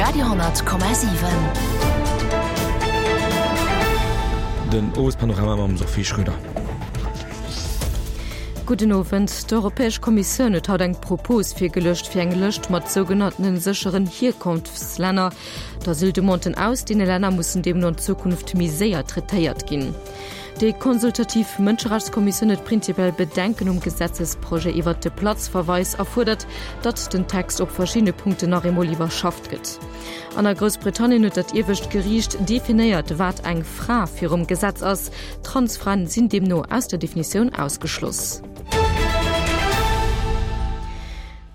Radio 10,7. Den Owespanorama mam Sophie Schröder. Gudden Owend. D'Europäesch Kommissioun huet haut eng Propos virgeluecht fir eng Lëscht mat sougenanntene sécheren Hierkonftslänner. D'Asyldemanden aus deene Länner mussen deemno an Zukunft méi séier traitéiert ginn. Déi consultativ Mënscherechtskommissioun huet prinzipiell Bedenken um Gesetzesprojet iwwert de Platzverweis a fuerdert, datt den Text op verschiddene Punkten nach eemol iwwerschafft gëtt. An a Groussbritannien huet dat iewescht Geriicht definéiert, wat eng Fra virum Gesetz ass. Transfraen sinn deemno aus der Definitioun ausgeschloss.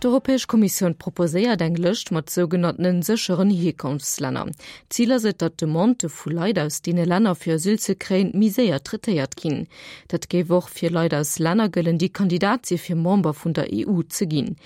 D'Europäesch Kommissioun proposéiert eng Lëscht mat sougenanntene sécheren Hierkonftslänner. Zil ass et, datt Demandë vu Leit aus deene Länner fir Asyl ze kréien, méi séier traitéiert ginn. Dat géif och fir Leit aus Länner gëllen, déi Kandidat si fir Member vun der EU ze ginn.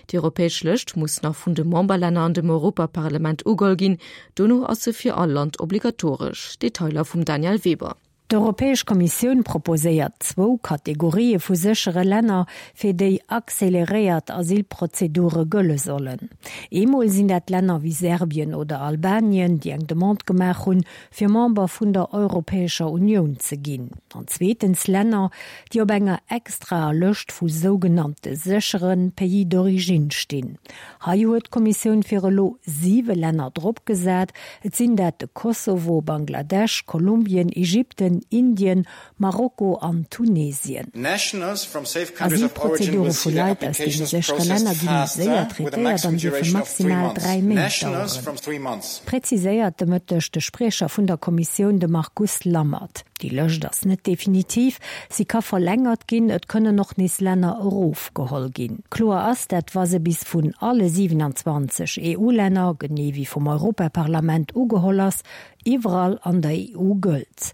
Déi europäesch Lëscht muss nach vun de Memberlänner an dem Europaparlament ugeholl ginn. Dono ass se fir all Land obligatoresch. Detailer vum Danièle Weber. D'Europäesch Kommissioun proposéiert zwou Kategorië vu séchere Länner, fir déi acceleréiert Asylprozedure gëlle sollen. Eemol sinn dat Länner wéi Serbien oder Albanien, déi eng Demande gemaach hunn, fir Member vun der Europäescher Unioun ze ginn. An zweetens Länner, déi op enger extraer Lëscht vu sougenannte séchere Pays d'origine stinn. Hei huet d'Kommissioun fir elo siwe Länner dropgesat. Et sinn dat de Kosovo, Bangladesch, Kolumbien, Ägypten, Indien, Marokko an Tunesien. Asylprozedure vu Leit aus deene séchere Länner gi méi séier traitéiert an dierfe maximal 3 Méint daueren, präziséiert de Mëtteg de Spriecher vun der Kommissioun, de Markus Lammert. Déi Lëscht ass net definitiv, si ka verlängert ginn, et kënnen och nees Länner erofgeholl ginn. Kloer ass, dat wa se bis vun alle 27 EU-Länner, genee wéi vum Europaparlament ugeholl ass, iwwerall an der EU gëllt.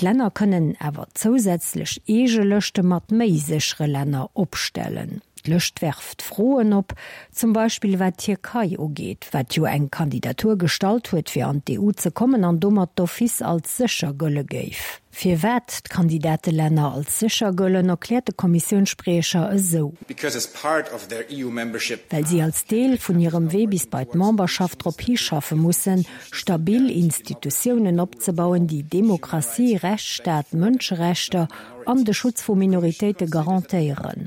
D'Länner kënnen awer zousätzlech eege Lëschte mat méi séchere Länner opstellen. D'Lëscht werft Froen op, zum Beispill wat d'Tierkei ugeet, wat jo eng Kandidatur gestallt huet fir an d'EU ze kommen an domat d'office als sécher gëlle géif. Firwat d'Kandidatelänner als sécher gëllen, erkläert de Kommissiounsspriecher esou. Well si als Deel vun hirem Wee bis bei d'Memberschaft drop hischaffe mussen, stabil Institutiounen opzebauen, déi Demokratie, Rechtsstaat, Mënscherechter an de Schutz vu Minoritéite garantéieren.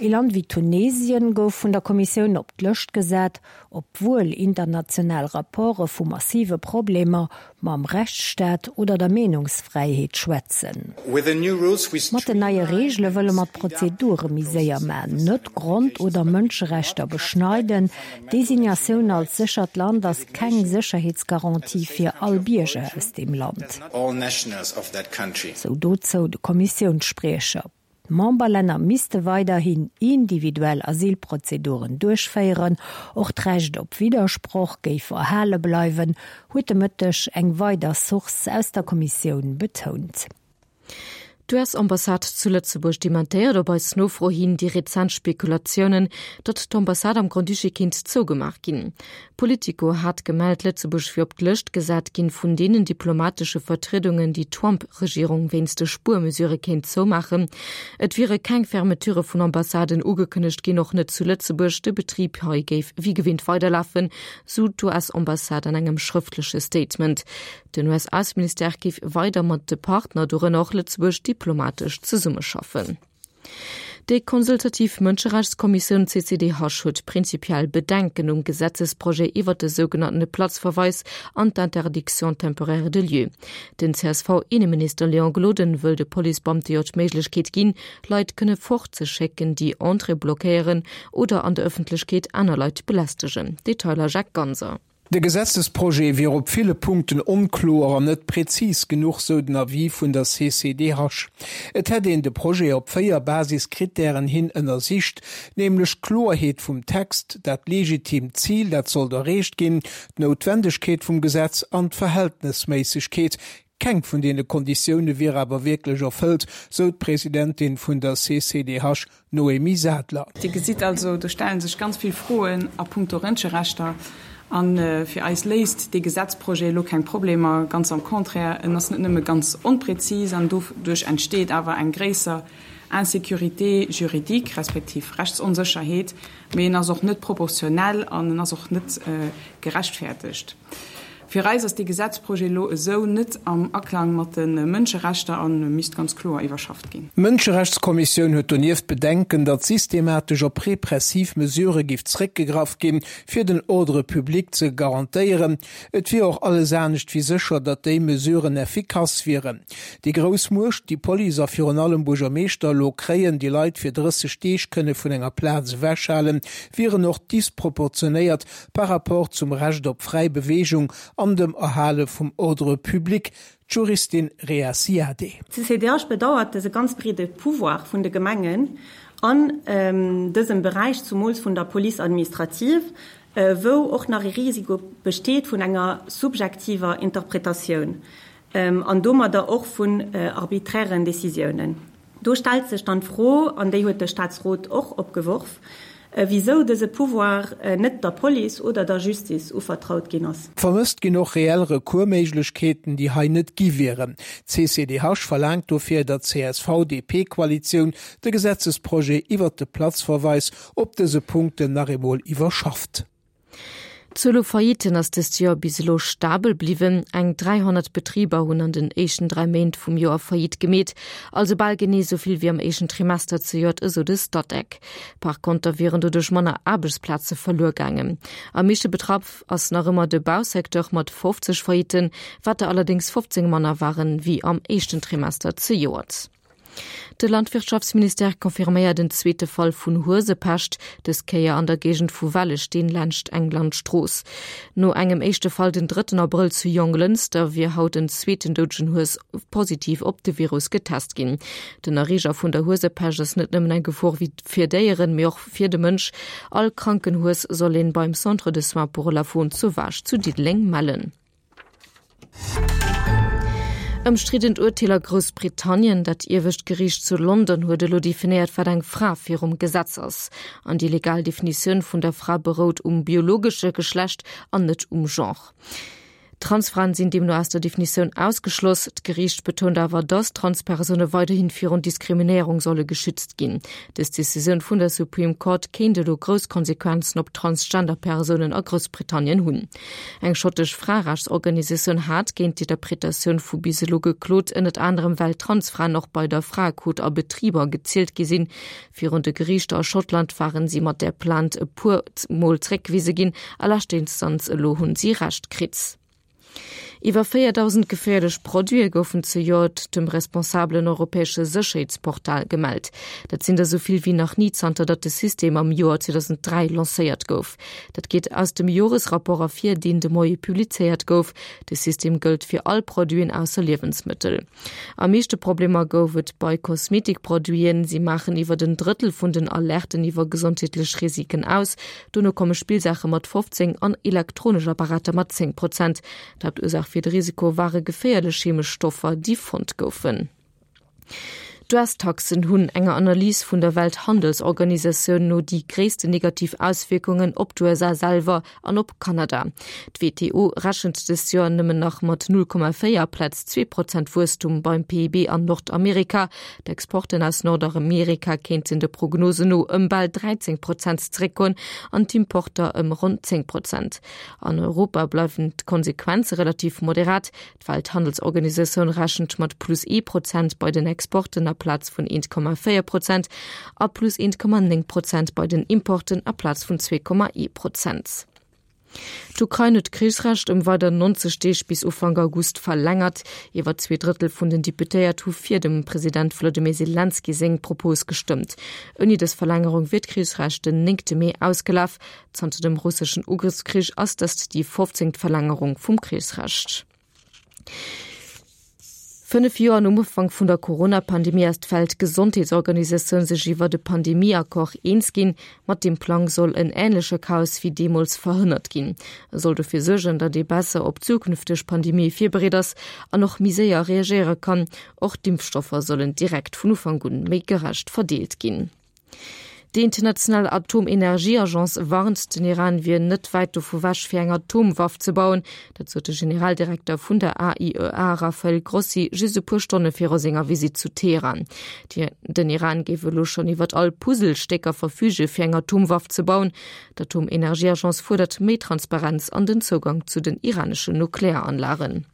Ee Land wéi Tunesien gouf vun der Kommissioun op d'Lëscht gesat, obwuel international Rapporte vu massive Problemer mam Rechtsstaat oder der Meenungsfräiheet schwätzen. Mat den neie Reegele wëlle mer d'Prozedure méi séier man, net Grond oder Mënscherechter beschneiden. D'Designatioun als séchert Land ass keng Sécherheetsgarantie fir all Bierger aus deem Land. Sou dozou de Kommissiounsspriecher. D'Memberlänner misste weiderhin individuell Asylprozeduren duerchféieren. Och d'Recht op Widdersproch géif erhale bleiwen, huet de Mëtteg eng weider Source aus der Kommissioun betount. D'US-Ambassade zu Lëtzebuerg dementéiert op eis Nofro hin déi rezent Spekulatiounen, datt d'Ambassade am Grand-Duché kéint zougemaach ginn. Politico hat gemellt, Lëtzebuerg wier op d'Lëscht gesat ginn vun deenen diplomatesche Vertriedungen, déi d'Trump-Regierung wéinst de Spuermesurë kéint zoumaachen. Et wiere keng Fermeture vun Ambassaden ugekënnegt ginn, och net zu Lëtzebuerg. De Betrib hei géif wéi gewinnt weiderlafen, sou d'US-Ambassade an engem schrëftleche Statement. Den US-Ausseministère géif weider mat de Partner, dorënner och Lëtzebuerg, diplomatesch zesummeschaffen. Déi consultativ Mënscherechtskommissioun CCDH huet prinzipiell Bedenken um Gesetzesprojet iwwert de sougenanntene Platzverweis an d'Interdiction temporaire de lieu. Den CSV-Inneminister Léon Gloden wëll de Policebeamte jo d'Méiglechkeet ginn, Leit kënne fortzeschécken, déi Entrée blockéieren oder an der Ëffentlechkeet aner Leit belästegen. Detailer Jacques Ganser. De Gesetzesprojet wier op ville Punkten onkloer an net prezis genuch, sou den Avis vun der CCDH. Et hätt een de Projet op 4 Basiskrittären hin ënnersicht, nämlech d'Kloerheet vum Text, dat legitimt Zil, dat sollt erreecht ginn, d'Noutwendegkeet vum Gesetz an d'Verhältnesméissegkeet. Keng vun deene Konditioune wier awer wierklech erfëllt, sou d'Presidentin vun der CCDH, Noémie Sadler. Dir gesitt also, do stelle sech ganz vill Froen a puncto Rënscherechter. A fir eis léist dee Gesetzprojet elo keng Problemer, ganz am Contraire, en ass net nëmme ganz onprezis an doduerch entsteet awer eng gréisser. Insécurité juridique respektiv Rechtsonsécherheet, mee en ass och net proportionell an en ass och net gerechtfertegt. Fir eis ass dee Gesetzprojet elo esou net am Aklang mat de Mënscherechter a misst ganz kloer iwwerschafft ginn. D'Mënscherechtskommissioun huet donieft Bedenken, datt systematesch op repressiv Mesurë giff zréckgegraff ginn, fir den Ordre public ze garantéieren. Et wier och alles anescht wéi sécher, datt déi Mesuren effikass wieren. Déi grouss Muecht, déi Police a virun allem Buergermeeschter elo kréien, déi Leit fir 30 Deeg kënne vun enger Plaz ewechhalen, wieren och disproportionéiert par rapport zum Recht op fräi Beweegung an dem Erhale vum Ordre public, d'Juristin Rhea Ziadé. D'CCDH bedauert dëse ganz breede Pouvoir vun de Gemengen an dësem Beräich, zumools vun der Police administrative, wou och nach e Risiko besteet vun enger subjektiver Interpretatioun an domadder och vun arbiträren Décisiounen. Do stellt sech dann d'Fro, an déi huet de Statsrot och opgeworf, wisou dëse Pouvoir net der Police oder der Justice uvertraut ginn ass. Vermësst ginn och reell Recoursméiglechkeeten, déi hei net gi wieren. D'CCDH verlaangt dofir, datt d'CSV-DP-Koalitioun de Gesetzesprojet iwwert de Platzverweis op dëse Punkten nach eemol iwwerschafft. D'Zuel u Faillitten ass dëst Joer bis elo stabel bliwwen. Eng 300 Betriber hunn an den éischten 3 Méint vum Joer Faillite gemeet, also bal genee esou vill wéi am éischten Trimester zejoert, esou de Statec. Par konter wieren doduerch manner Aarbechtsplaze verluer gaangen. Am meeschte betraff ass nach ëmmer de Bausecteur mat 50 Faillitten, wat der allerdéngs 15 manner waren, wéi am éischten Trimester zejoert. De Landwirtschaftsministère confirméiert en zweete Fall vun Huesepescht, dës Kéier an der Géigend vu Wellesteen laanscht eng Landstrooss. No engem éischte Fall den drëtten Abrëll zu Jonglënster wier haut en zweeten doudegen Hues positiv op de Virus getest ginn. Den Erreeger vun der Huesepescht ass net nëmmen eng Gefor fir Déieren, mee och fir de Mënsch. All kranken Hues soll een beim Centre de soins pour la faune sauvage zu Diddeleng mellen. Ëmstriddent Urteel a Groussbritannien, Dat iewescht Geriicht zu London huet elo definéiert, wat eng Fra virum Gesetz ass. An déi legal Definitioun vun der Fra berout um biologesche Geschlecht an net um Genre. Transfraen sinn deemno aus der Definitioun ausgeschloss. D'Geriicht betount awer, datt Transpersoune weiderhi virun Diskriminéierung solle geschützt ginn. Dës Decisioun vun der Supreme Court kéint elo grouss Konsequenzen op Transgender-Persounen a Groussbritannien hunn. Eng schottesch Fraerechtsorganisatioun hat géint d'Interpretatioun vu bis elo geklot, ënnert anerem well Transfraen och bei der Fraequot a Betriber gezielt gi sinn. Virun de Geriichter a Schottland waren si mat där Plainte e puer Mol zréckgewise ginn, a leschter Instanz elo hunn si Recht kritt. Iwwer 4.000 geféierlech Produite goufen zejoert dem responsabelen europäesche Sécherheetsportal gemellt. Dat sinn der esou vill wéi nach ni zanter datt de System am Joer 2003 lancéiert gouf. Dat geet aus dem Joresrapport ervir, deen de Moie publizéiert gouf. De System gëllt fir all Produiten ausser Liewensmëttel. Am meeschte Problemer gouf et bei Kosmetikproduiten. Si maachen iwwert en Drëttel vun den Alerten iwwer gesondheetlech Risiken aus. Dono komme Spillsaache mat 15 an elektronesch Apparater mat 10 Prozent. D'Haaptursaach fir de Risiko ware geféierlech chemesch Stoffer, déi fonnt goufen. D'US-Taxen hunn enger Analys vun der Welthandelsorganisatioun no déi gréissten negativ Auswierkungen op d'USA selwer an op Kanada. D'WTO rechent dëst Joer nëmmen nach mat 0,4 aplaz 2 Prozent Wuesstum beim PIB an Nordamerika. D'Exporten aus Nordamerika kéinten de Prognosen no ëm bal 13 Prozent zeréckgoen an d'Importer ëm ronn 10 Prozent. An Europa bleiwen d'Konsequenze relativ moderat. D'Welthandelsorganisatioun rechent mat plus ee Prozent bei den Exporten aplaz vun 1,4 Prozent a plus 1,9 Prozent bei den Importen aplaz vun 2,1 Prozent. D'Ukrain huet d'Krichsrecht ëm weider 90 Deeg bis Ufank August verlängert. Iwwer 2 Drëttel vun den Deputéiert hu fir dem President Wolodymyr Selenskyj seng Propos gestëmmt. Ouni dës Verlängerung wier d'Krichsrecht den néngte Mee ausgelaf. Zanter dem russeschen Ugrëffskrich ass dëst déi 15. Verlängerung vum Krichsrecht. Fënnef Joer nom Ufank vun der Corona-Pandemie ass d'Weltgesondheetsorganisatioun sech iwwert e Pandemie-Accord eens ginn. Mat deem Plang soll en änleche Chaos wéi deemools verhënnert ginn. E soll dofir suergen, datt ee besser op zukünfteg Pandemië virbereet ass an och méi séier reagéiere kann. Och d'Impfstoffer sollen direkt vun Ufank un méi gerecht verdeelt ginn. Déi international Atomenergieagence warnt, den Iran wier net wäit dovu wech fir eng Atomwaff ze bauen. Dat sot de Generaldirekter vun der AIEA Rafael Grossi just e puer Stonne viru senger Visitt zu Teheran. Den Iran géif elo schonn iwwert all Puzzlestécker verfüge fir eng Atomwaff ze bauen. D'Atomenergieagence fuerdert méi Transparenz an den Zougang zu den iraneschen Nuklearanlagen.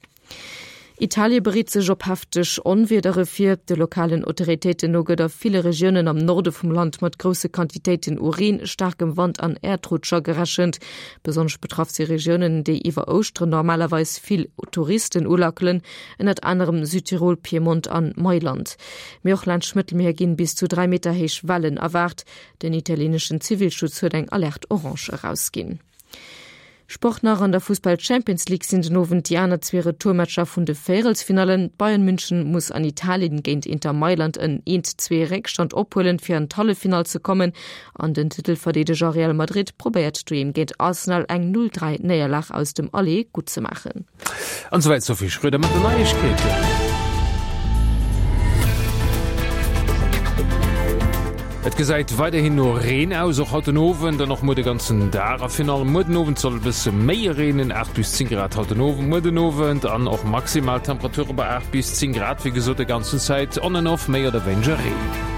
Italie bereet sech op hefteg Onwiedere vir. De lokalen Autoritéiten no gëtt a ville Regiounen am Norde vum Land mat grousse Quantitéiten u Reen, staarkem Wand an Äerdrutscher gerechent. Besonnesch betraff si Regiounen, déi iwwer Ouschteren normalerweis vill Touristen ulackelen, ënnert anerem Südtirol, Piemont an Mailand. Mee och laanscht d'Mëttelmier ginn bis zu 3 Meter héich Wellen erwaart. Den italieneschen Zivilschutz huet eng Alerte orange erausginn. Sport nach, An der Fussball-Champions League sinn den Owend déi aner zwee Retourmatcher vun de Véierelsfinallen. Bayern München muss an Italien géint Inter Mailand en eent zwee Réckstand ophuelen, fir an d'Halleffinall ze kommen. An den Titelverdeedeger Real Madrid probéiert doheem géint Arsenal eng 0 3 Néierlag aus dem Aller guttzemaachen. An souwäit d'Sophie Schröder mat den Neiegkeeten. Et gesäit weiderhin no Reen aus, och haut den Owend an och muer de ganzen Dag. A virun allem muer den Owend soll e bësse méi reenen, 8 bis 10 Grad haut den Owend, muer den Owend an och maximal Temperature bei 8 bis 10 Grad. Wéi gesot, de ganzen Zäit on and off méi oder wéineger Reen.